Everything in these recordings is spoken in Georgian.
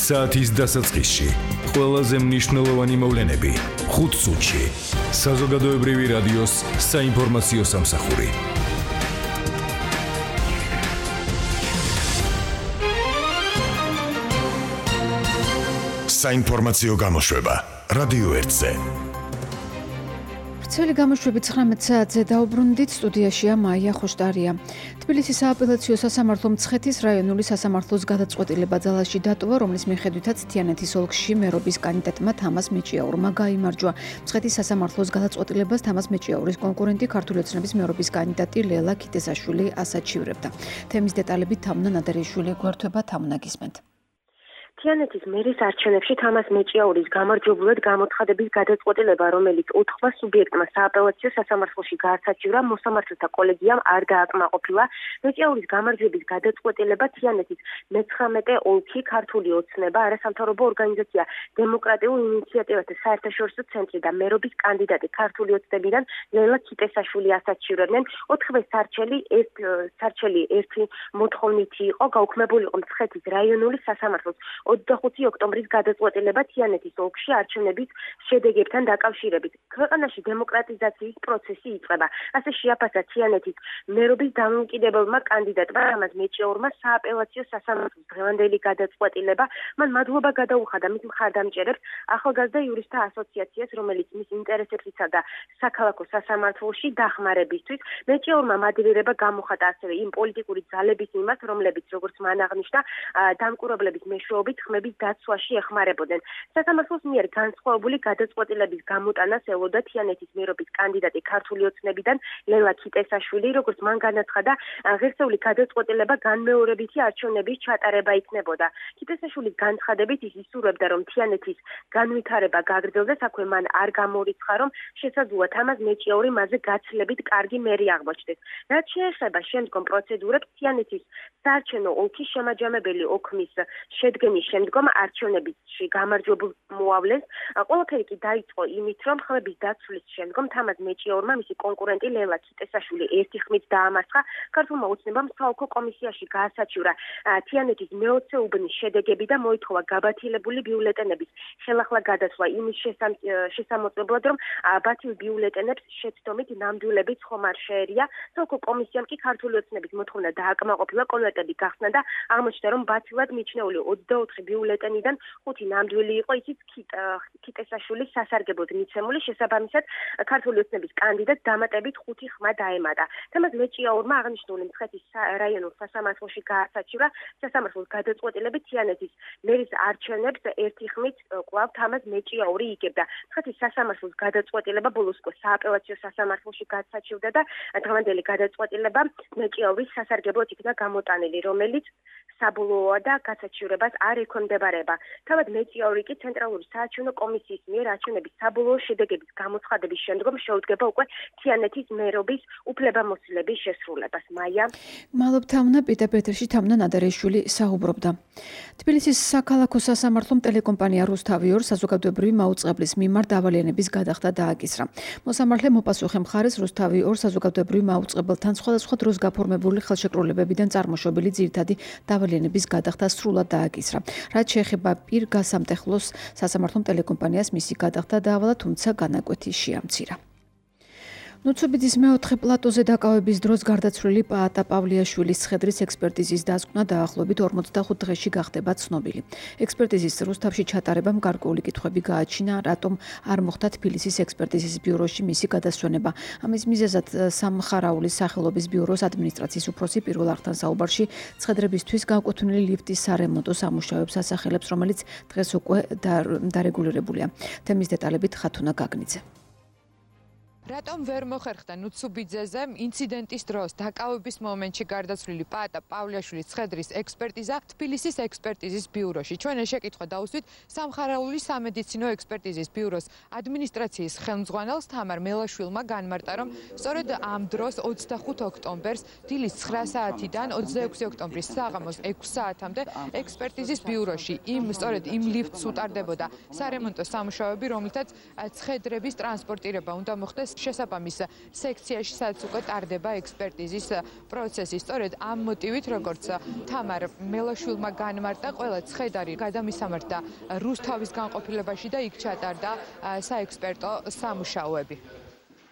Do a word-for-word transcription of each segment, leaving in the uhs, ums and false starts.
საათის დასაწყისში ყველაზე მნიშვნელოვანი მოვლენები ხუთ წუთში საზოგადოებრივი რადიოს საინფორმაციო სამსახური. საინფორმაციო გამოშვება რადიო ერთზე. Ცელი გამოშვები ცხრამეტ საათზე დაუბრუნდით, სტუდიაშია მაია ხოშტარია. თბილისის სააპელაციო სასამართლო მცხეთის რაიონული სასამართლოს გადაწყვეტილება ძალაში დატოვა, რომლის მიხედვითაც თიანეთის ოლქში მერობის კანდიდატმა თამაზ მეჭიაურმა გაიმარჯვა. მცხეთის სასამართლოს გადაწყვეტილებას თამაზ მეჭიაურის კონკურენტი ქართული ოცნების მერობის კანდიდატი ლელა ქიტესაშვილი ასაჩივრებდა. თემის დეტალებით თამუნა ნადარეიშვილი გვერდება, თამუნა გისმენთ. თიანეთის მერის არჩევნებში თამაზ მეჭიაურის გამარჯვებულად გამოცხადების გადაწყვეტილება, რომელიც ოთხმა სუბიექტმა სააპელაციო სასამართლოში გაასაჩივრა, მოსამართლეთა კოლეგიამ არ დააკმაყოფილა. მეჭიაურის გამარჯვების გადაწყვეტილება თიანეთის მეცხრამეტე ოლქი ქართული ოცნება, არასამთავრობო ორგანიზაცია დემოკრატიულ ინიციატივათა საერთაშორისო ცენტრი და მერობის კანდიდატი ქართული ოცნებიდან ლელა ქიტესაშვილი ასაჩივრებდნენ. ოთხივე სარჩელი ერთ სარჩელი ერთი მოთხოვნითი იყო, გაუქმებული იყო მცხეთის რაიონული სასამართლოს ოცდახუთი ოქტომბრის გადაწყვეტილება თიანეთის ოლქში არჩევნების შედეგებთან დაკავშირებით. ქვეყანაში დემოკრატიზაციის პროცესი იწყება. ასე შეაფასა თიანეთის მერობის დამოუკიდებელმა კანდიდატმა თამაზ მეჭიაურმა სააპელაციო სასამართლოს დღევანდელი გადაწყვეტილება. მან მადლობა გადაუხადა მის მხარდამჭერებს, ახალგაზრდა იურისტთა ასოციაციას, რომელიც მის ინტერესებს იცავდა საქალაქო სასამართლოში დახმარებისთვის. მეჭიაურმა მადლიერება გამოხატა ასევე იმ პოლიტიკური ძალების მიმართ, რომლებიც, როგორც მან აღნიშნა, დამკვირვებლების მეშვეობით ხმების დაცვაში ეხმარებოდნენ. სასამართლოს მიერ განსხვავებული გადაწყვეტილების გამოტანას ელოდა თიანეთის მერობის კანდიდატი ქართული ოცნებიდან ლელა ქიტესაშვილი, როგორც მან განაცხადა, ღირსეული გადაწყვეტილება განმეორებითი არჩევნების ჩატარება იქნებოდა. ქიტესაშვილის განცხადებით ის ისურვებდა, რომ თიანეთის განვითარება გაგრძელდეს, აქვე მან არ გამორიცხა, რომ შესაძლოა თამაზ მეჭიაური მასზე გაცილებით კარგი მერი აღმოჩნდეს. რაც შეეხება შემდგომ პროცედურებს, თიანეთის საარჩევნო ოლქის შემაჯამებელი ოქმის შედგენის შემდგომ არჩევნებში გამარჯვებულ მოავლენს. ყველაფერი კი დაიწყო იმით, რომ ხმების დაცვლის შემდგომ თამაზ მეჭიაურმა მისი კონკურენტი ლელა ქიტესაშვილი ერთი ხმით დაამარცხა. ქართულმა ოცნებამ საოლქო კომისიაში გაასაჩივრა თიანეთის მეოცე უბნის შედეგები და მოითხოვა გაბათილებული ბიულეტენების ხელახლა გადასვლა იმის შესამოწმებლად, რომ ბათილ ბიულეტენებს შეცდომით ნამდვილებით ხომ არ შეერია. საოლქო კომისიამ კი ქართული ოცნების მოთხოვნა დააკმაყოფილა, კონვერტები გახსნა და აღმოჩნდა, რომ ბათილად მიჩნეული ოცდაოთხი ბიულეტენიდან ხუთი ნამდვილი იყო, ისიც ქიტესაშვილის სასარგებლოდ მიცემული. შესაბამისად, ქართული ოცნების კანდიდატს დამატებით ხუთი ხმა დაემატა. თამაზ მეჭიაურმა აღნიშნული მცხეთის რაიონულ სასამართლოში გაასაჩივრა. სასამართლოს გადაწყვეტილებით თიანეთის მერის არჩევნებს ერთი ხმით კვლავ თამაზ მეჭიაური იგებდა. მცხეთის სასამართლოს გადაწყვეტილება ბოლოს უკვე სააპელაციო სასამართლოში გაასაჩივრდა და დღევანდელი გადაწყვეტილება მეჭიაურის სასარგებლოდ იქნა გამოტანილი, რომელიც საბოლოოა და გასაჩივრებას არ ექვემდებარება. თავად მეჭიაური კი ცენტრალური საარჩევნო კომისიის მიერ არჩევნების საბოლოო შედეგების გამოცხადების შემდგომ შეუდგება უკვე თიანეთის მერობის უფლებამოსილების შესრულებას. მაია. მადლობ თამუნა, პიტერ პეტრში თამუნა ნადარეიშვილი საუბრობდა. თბილისის საქალაქო სასამართლომ ტელეკომპანია რუსთავი ორ საზოგადოებრივი მაუწყებლის მიმართ დავალიანების გადახდა დააკისრა. მოსამართლე მოპასუხე მხარეს რუსთავი ორ საზოგადოებრივ მაუწყებელთან სხვადასხვა დროს გაფორმებული ხელშეკრულებებიდან წარმოშობილი ძირითადი დავალიანების გადახდა სრულად დააკისრა. რაც შეეხება პირგასამტეხლოს სასამართლომ ტელეკომპანიას მისი გადახდა დაავალა, თუმცა განაკვეთი შეამცირა. ნუცუბიძის მეოთხე პლატოზე დაკავების დროს გარდაცვლილი პაატა პავლიაშვილის ცხედრის ექსპერტიზის დასკვნა დაახლოებით ორმოცდახუთ დღეში გახდება ცნობილი. ექსპერტიზის რუსთავში ჩატარებამ გარკვეული კითხვები გააჩინა, რატომ არ მოხდა თბილისის ექსპერტიზის ბიუროში მისი გადასვენება. ამის მიზეზად სამხარაულის სახელობის ბიუროს ადმინისტრაციის უფროსი პირველ არხთან საუბარში ცხედრებისთვის განკუთვნილი ლიფტის სარემონტო სამუშაოებს ასახელებს, რომელიც დღეს უკვე დარეგულირებულია. თემის დეტალებით ხათუნა გაგნიძე. რატომ ვერ მოხერხდა ნუცუბიძეზე ინციდენტის დროს დაკავების მომენტში გარდაცვლილი პაატა პავლიაშვილის ცხედრის ექსპერტიზა თბილისის ექსპერტიზის ბიუროში. ჩვენ ეს შეკითხვა დავუსვით სამხარაულის სამედიცინო ექსპერტიზის ბიუროს ადმინისტრაციის ხელმძღვანელს თამარ მელაშვილმა განმარტა, რომ სწორედ ამ დროს ოცდახუთ ოქტომბერს დილის ცხრა საათიდან ოცდაექვსი ოქტომბრის საღამოს ექვს საათამდე ექსპერტიზის ბიუროში იმ სწორედ იმ ლიფტს უტარდებოდა სარემონტო სამუშაოები, რომლითაც ცხედრების ტრანსპორტირება უნდა მოხდეს შესაბამის სექციაში, სადაც უკვე ტარდება ექსპერტიზის პროცესი. სწორედ ამ მოტივით, როგორც თამარ მელაშვილმა განმარტა, ყველა ცხედარი გადამისამართდა რუსთავის განყოფილებაში და იქ ჩატარდა საექსპერტო სამუშაოები.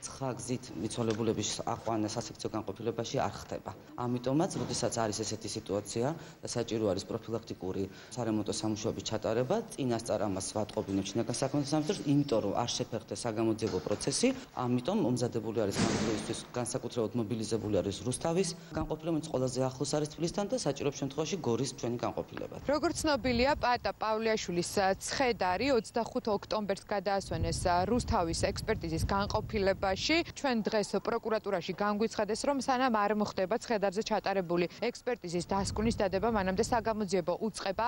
ცხა გზით მიცვალებულების აყვანა სასექციო განყოფილებაში არ ხდება. ამიტომაც, როდესაც არის ესეთი სიტუაცია და საჭირო არის პროფილაქტიკური სარემონტო სამუშაოების ჩატარება, წინასწარ ამას ვატყობინებთ შინაგან საქმეთა სამინისტროს, იმიტომ რომ არ შეფერხდეს საგამოძიებო პროცესი, ამიტომ მომზადებული არის სამუშაოისთვის განსაკუთრებულად მობილიზებული არის რუსთავის განყოფილება, ყველაზე ახლოს არის თბილისთან და საჭირო შემთხვევაში გორის ჩვენი განყოფილება. როგორც ცნობილია, პატა პავლეაშვილის ცხედარი ოცდახუთ ოქტომბერს გადაასვენეს რუსთავის ექსპერტიზის განყოფილება. ჩვენ დღეს პროკურატურაში განგვიცხადეს, რომ სანამ არ მოხდება ცხედარზე ჩატარებული ექსპერტიზის დასკვნის დადება, მანამდე საგამოძიებო უწყება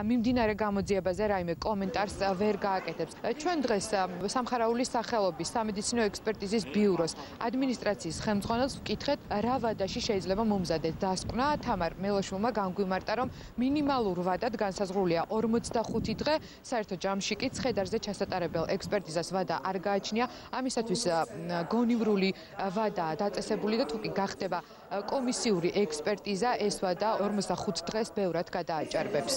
მიმდინარე გამოძიებაზე რაიმე კომენტარს ვერ გააკეთებს. ჩვენ დღეს სამხარაულის სახელობის სამედიცინო ექსპერტიზის ბიუროს ადმინისტრაციის ხელმძღვანელს ვკითხეთ, რა ვადაში შეიძლება მომზადდეს დასკვნა. თამარ მელაშვილმა განგვიმარტა, რომ მინიმალურ ვადად განსაზღვრულია ორმოცდახუთი დღე, საერთო ჯამში კი ცხედარზე ჩასატარებელ ექსპერტიზას ვადა არ გააჩნია. ამისათვის გონივრული ვადაა დაწესებული და თუ კი გახდება კომისიური ექსპერტიზა, ეს ვადა ორმოცდახუთ დღეს ბევრად გადააჭარბებს.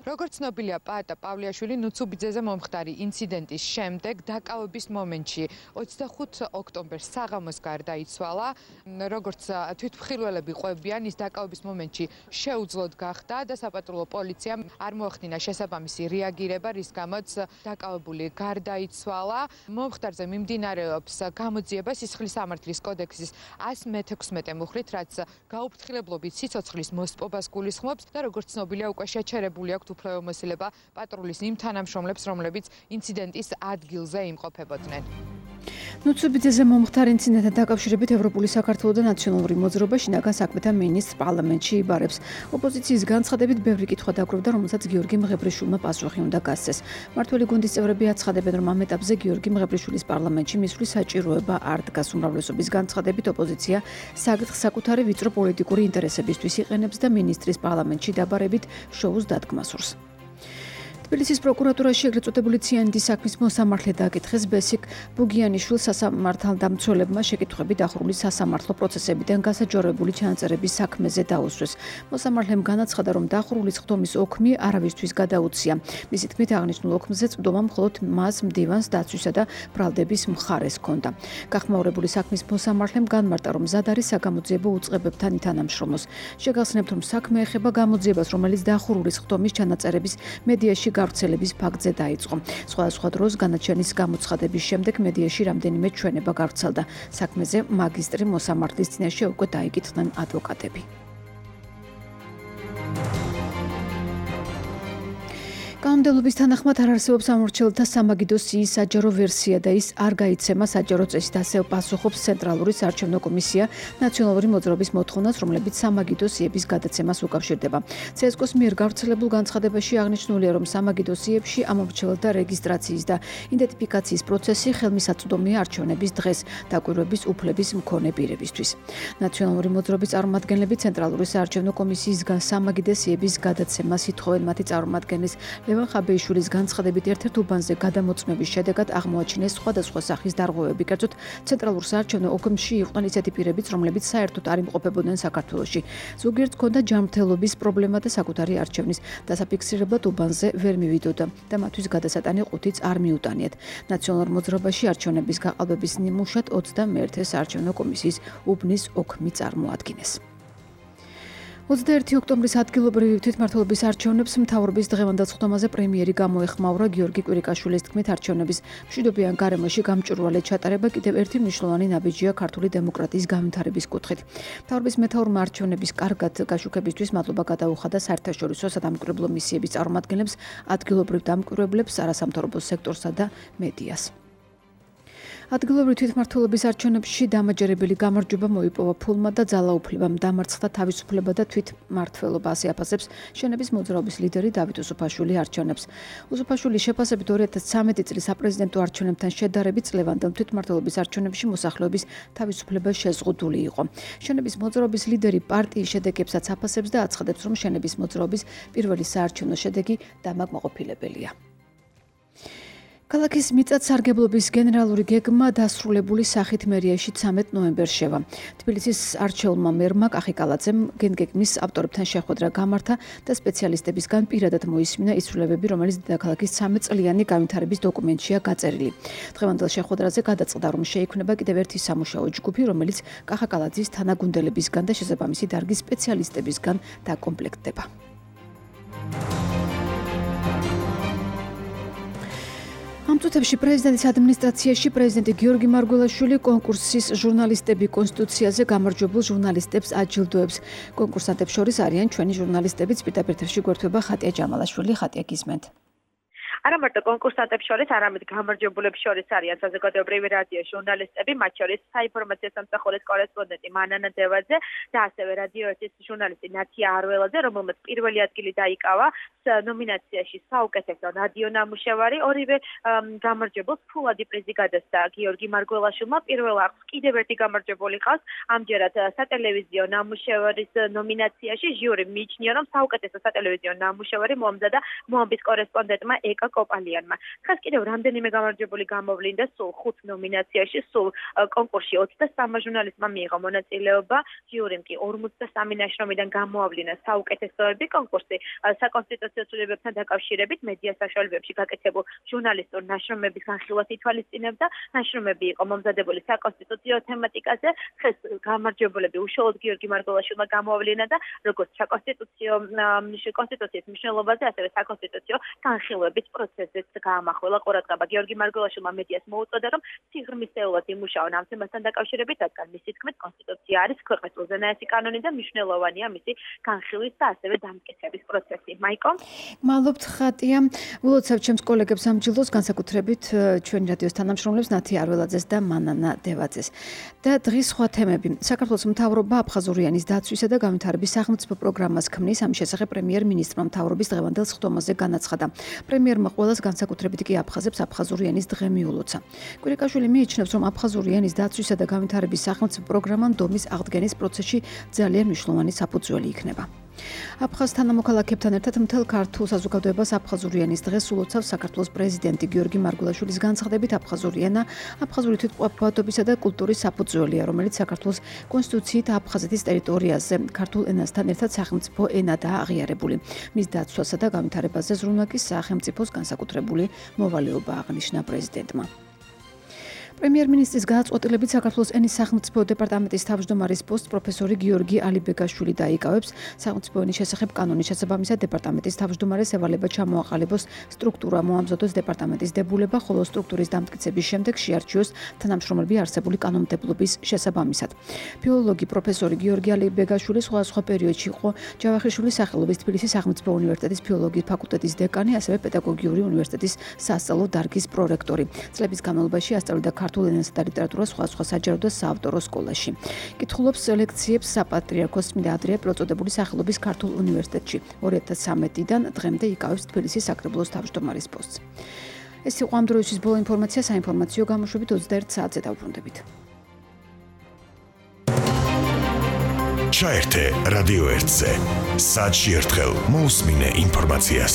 როგორც ცნობილია, პატა პავლეაშვილი ნუცუბიძეზე მომხდარი ინციდენტის შემდეგ დაკავების მომენტში ოცდახუთ ოქტომბერს საღამოს გარდაიცვალა. როგორც თვითმხილველები ყვებიან, ის დაკავების მომენტში შეუძლოდ გახდა და საპატრულო პოლიციამ არ მოახდინა შესაბამისი რეაგირება, რის გამოც დაკავებული გარდაიცვალა. მომხდარზე მიმდინარეობს გამოძიება სისხლის სამართლის კოდექსის ასი მეთექვსმეტე მუხლით, რაც გაუფრთხილებლობით სიცოცხლის მოსპობას გულისხმობს და როგორც ცნობილია, უკვე შეჩერებული აქვთ უფლებამოსილება პატრულის იმ თანამშრომლებს, რომლებიც ინციდენტის ადგილზე იმყოფებოდნენ. ნუცუბიძეზე მომხდარ ინციდენტთან დაკავშირებით ევროპული საქართველო და ნაციონალური მოძრაობა შინაგან საქმეთა მინისტრს პარლამენტში იბარებს. ოპოზიციის განცხადებით ბევრი კითხვა დაგროვდა, რომელსაც გიორგი მღებრიშვილმა პასუხი უნდა გასცეს. მმართველი გუნდის წევრები აცხადებენ, რომ ამ ეტაპზე გიორგი მღებრიშვილის პარლამენტში მისვლის საჭიროება არ დგას. უმრავლესობის განცხადებით ოპოზიცია საკითხს საკუთარი ვიწრო პოლიტიკური ინტერესებისთვის იყენებს და მინისტრის პარლამენტში დაბარებით შოუს დადგმას სურს. თბილისის პროკურატურაში ეგრეთ წოდებული ციანიდის საქმის მოსამართლე დააკითხეს ბესიკ ბუგიანიშვილს სასამართალდამცველებმა შეკითხვები დახურული სასამართლო პროცესებიდან გასაჯაროებული ჩანაწერების საქმეზე დაუსვეს. მოსამართლემ განაცხადა, რომ დახურული ხდომის ოქმი არავისთვის გადაუცია. მისი თქმით, აღნიშნულ ოქმზე წვდომა მხოლოდ მას მდივანს დაცვისა და ბრალდების მხარეს ჰქონდა. გახმაურებული საქმის მოსამართლემ განმარტა, რომ მზად არის საგამოძიებო უწყებებთან ითანამშრომოს. შეგახსენებთ, რომ საქმე ეხება გამოძიებას, რომელიც დახურული ხდომის ჩანაწერების მედიაში გავრცელების ფაქტზე დაიწყო. სხვადასხვა დროს განაჩენის გამოცხადების შემდეგ მედიაში რამდენიმე ჩვენება გავრცელდა. საქმეზე მაგისტრი მოსამართლის წინაშე უკვე დაიკითხნენ ადვოკატები. კანონმდებლობის თანახმად არ არსებობს ამორჩეულთა სამაგიდო სიის საჯარო ვერსია და ის არ გაიცემა საჯარო წესით, ასე პასუხობს ცენტრალური საარჩევნო კომისია ნაციონალური მოძრაობის მოთხოვნას, რომლებიც სამაგიდო სიების გადაცემას უკავშირდება. ცესკოს მიერ გავრცელებულ განცხადებაში აღნიშნულია, რომ სამაგიდო სიებში ამორჩეულთა რეგისტრაციის და იდენტიფიკაციის პროცესი ხელმისაწვდომია არჩევნების დღეს დაკვირვების უფლების მქონე პირებისთვის. ნაციონალური მოძრაობის წარმომადგენლები ცენტრალური საარჩევნო კომისიისგან სამაგიდო სიების გადაცემას ითხოვენ. მათი წარმომადგენლის ლევან ხაბეიშვილის განცხადებით, ერთ-ერთ უბანზე გადამოწმების შედეგად აღმოაჩინეს სხვადასხვა სახის დარღვევები. კერძოდ, ცენტრალურ საარჩევნო ოკმში იყვნენ ისეთი პირებიც, რომლებიც საერთოდ არ იმყოფებოდნენ საქართველოში. ზოგიერთ ჰქონდა ჯანმრთელობის პრობლემა და საკუთარი არჩევნის დასაფიქსირებლად უბანზე ვერ მივიდოდა და მათთვის გადასატანი ყუთიც არ მიუტანიათ. ნაციონალურ მოძრაობაში არჩევნების გაყალბების ნიმუშად ოცდამეერთე საარჩევნო კომისიის უბნის ოქმი წარმოადგინეს. ოცდაერთი ოქტომბრის ადგილობრივი თვითმმართველობის არჩევნებს მთავრობის დღევანდელ სხდომაზე პრემიერი გამოეხმაურა. გიორგი კვირიკაშვილის თქმით, არჩევნების მშვიდობიან გარემოში გამჭვირვალე ჩატარება კიდევ ერთი მნიშვნელოვანი ნაბიჯია ქართული დემოკრატიის განვითარების კუთხით. მთავრობის მეთაურმა არჩევნების კარგად გაშუქებისთვის მადლობა გადაუხადა საერთაშორისო სადამკვირვებლო მისიების წარმომადგენლებს, ადგილობრივ დამკვირვებლებს, არასამთავრობო სექტორსა და მედიას. ადგილობრივი თვითმმართველობის არჩევნებში დამაჯერებელი გამარჯვება მოიპოვა ფულმა და ძალაუფლებამ. დამარცხდა თავისუფლება და თვითმმართველობა, ასე აფასებს შენების მოძრაობის ლიდერი დავით უსუფაშვილი არჩევნებს. უსუფაშვილის შეფასებით ორი ათას ცხრამეტი წლის საპრეზიდენტო არჩევნებთან შედარებით წლევანდელ თვითმმართველობის არჩევნებში მოსახლეობის თავისუფლება შეზღუდული იყო. შენების მოძრაობის ლიდერი პარტიის შედეგებსაც აფასებს და აცხადებს, რომ შენების მოძრაობის პირველი საარჩევნო შედეგი დამაკმაყოფილებელია. ქალაქის მიწათსარგებლობის გენერალური გეგმა დასრულებული სახით მერიაში ცამეტ ნოემბერს შევა. თბილისის არჩეულმა მერმა კახიკალაძემ გენგეგმის ავტორებთან შეხვედრა გამართა და სპეციალისტებისგან პირადად მოისმინა ის ცვლილებები, რომელიც დედაქალაქის ცამეტ წლიანი განვითარების დოკუმენტშია გაწერილი. დღევანდელ შეხვედრაზე გადაწყდა, რომ შეიქმნება კიდევ ერთი სამუშაო ჯგუფი, რომელიც კახაკალაძის თანაგუნდელებისგან და შესაბამისი დარგის სპეციალისტებისგან დაკომპლექტდება. ამ წუთებში პრეზიდენტის ადმინისტრაციაში პრეზიდენტი გიორგი მარგველაშვილი კონკურსის ჟურნალისტები კონსტიტუციაზე გამარჯვებულ ჟურნალისტებს აჯილდოებს. კონკურსანტებს შორის არიან ჩვენი ჟურნალისტებიც, პირდაპირ ეთერში გვერდება ხატია ჯამალაშვილი. ხატია, გისმენთ. არა მარტო კონკურსანტებს შორის, არამედ გამარჯვებულებს შორის არიან საზოგადოებრივი რადიოს ჟურნალისტები, მათ შორის საინფორმაციო სამსახურის კორესპონდენტი მანანა დევაძე და ასევე რადიო ერთის ჟურნალისტი ნათია არველაძე, რომელმაც პირველი ადგილი დაიკავა ნომინაციაში საუკეთესო რადიო ნამუშევარი. ორივე გამარჯვებულს ფულადი პრიზი გადასცა გიორგი მარგველაშვილმა. პირველ არხს კიდევ ერთი გამარჯვებული ყავს. ამჯერად სატელევიზიო ნამუშევარის ნომინაციაში ჟიური მიიჩნია, რომ საუკეთესო სატელევიზიო ნამუშევარი მოამზადა მოამბის კორესპონდენტმა ეკა კოპალიანმა. ხას კიდევ რამდენიმე გამარჯვებული გამოვლინდა სულ ხუთ ნომინაციაში, სულ კონკურსში ოცდასამი ჟურნალისტმა მიიღო მონაწილეობა, ჟიურიმ კი ორმოცდასამი ნაშრომიდან გამოავლინა საუკეთესოები. კონკურსი საკონსტიტუციო ცვლილებებთან დაკავშირებით მედია საშუალებებში გაკეთებულ ჟურნალისტურ ნაშრომების განხილვას ითვალისწინებდა. ნაშრომები იყო მომზადებული საკონსტიტუციო თემატიკაზე. ხეს გამარჯვებულები უშუალოდ გიორგი მარგველაშვილმა გამოავლინა და როგორც საკონსტიტუციო კონსტიტუციის მნიშვნელობაზე, ასევე საკონსტიტუციო განხილვების პროცესზეც გაამახვილა ყურადღება. გიორგი მარგველაშვილმა მედიას მოუწოდა, რომ სიღრმისეულად იმუშაონ ამ თემასთან დაკავშირებით, რადგან მისი თქმით, კონსტიტუცია არის ქვეყნის უზენაესი კანონი და მნიშვნელოვანია მისი განხილვის და ასევე დამტკიცების პროცესი. მაიკო? მადლობთ, ხატია. ვილოცავ ჩემს კოლეგებს ამ ჯილდოს, განსაკუთრებით ჩვენი რადიოს თანამშრომლებს ნათია არველაძეს და მანანა დევაძეს. და დღის სხვა თემები. საქართველოს მთავრობა აფხაზურიანის დაცვისა და განვითარების სახელმწიფო პროგრამას ქმნის. ამის შესახებ პრემიერ-მინისტრმა მთავრობის დღევანდელ სხდომაზე განაცხადა. პრემიერმა ყველას, განსაკუთრებით კი აფხაზებს, აფხაზურიანის დღე მიულოცა. კვირიკაშვილი მიიჩნევს, რომ აფხაზურიანის დაცვისა და განვითარების სახელმწიფო პროგრამა ნდომის აღდგენის პროცესში ძალიან მნიშვნელოვანი საფუძველი იქნება. აფხაზ თანამოქალაქეებთან ერთად მთელ ქართულ საზოგადოებას აფხაზურიანის დღეს ულოცავს საქართველოს პრეზიდენტი გიორგი მარგველაშვილის განცხადებით. აფხაზური ენა აფხაზური თვითმყოფადობისა და კულტურის საფუძველია, რომელიც საქართველოს კონსტიტუციით აფხაზეთის ტერიტორიაზე ქართულ ენასთან ერთად სახელმწიფო ენადაა აღიარებული. მის დაცვასა და განვითარებაზე ზრუნვაკის სახელმწიფოს განსაკუთრებული მოვალეობა აღნიშნა პრეზიდენტმა. პრემიერ-მინისტრის გადაწყვეტილებით საქართველოს ენის სახელმწიფო დეპარტამენტის თავმჯდომარის პოსტს პროფესორი გიორგი ალიბეგაშვილი დაიკავებს. სახელმწიფო ენის შესახებ კანონის შესაბამისად დეპარტამენტის თავმჯდომარეს ევალება ჩამოაყალიბოს სტრუქტურა, მოამზადოს დეპარტამენტის დებულება, ხოლო სტრუქტურის დამტკიცების შემდეგ შეარჩიოს თანამშრომლები არსებული კანონმდებლობის შესაბამისად. ფილოლოგი პროფესორი გიორგი ალიბეგაშვილი სხვადასხვა პერიოდში იყო ჯავახიშვილის სახელობის თბილისის სახელმწიფო უნივერსიტეტის ფილოლოგიის ფაკულტეტის დეკანი, ასევე პედაგოგიური უნივერსიტეტის სასწავლო დარგის პრორექტორი. წლების განმავლობაში ასწავლიდა ქართულ ენასა და ლიტერატურას სხვადასხვა საჯარო და საავტორო სკოლაში. კითხულობს ლექციებს საპატრიარქოს წმინდა ანდრია პირველწოდებული სახელობის ქართულ უნივერსიტეტში. ორი ათას ცხრამეტიდან დღემდე იკავებს თბილისის საკრებულოს თავმჯდომარის პოსტს. ეს იყო ამ დროისთვის ბოლო ინფორმაცია, საინფორმაციო გამოშვებით ოცდაერთ საათზე დავბრუნდებით. ჩაერთე რადიო ერთზე. საათში ერთხელ მოусმინე ინფორმაციას.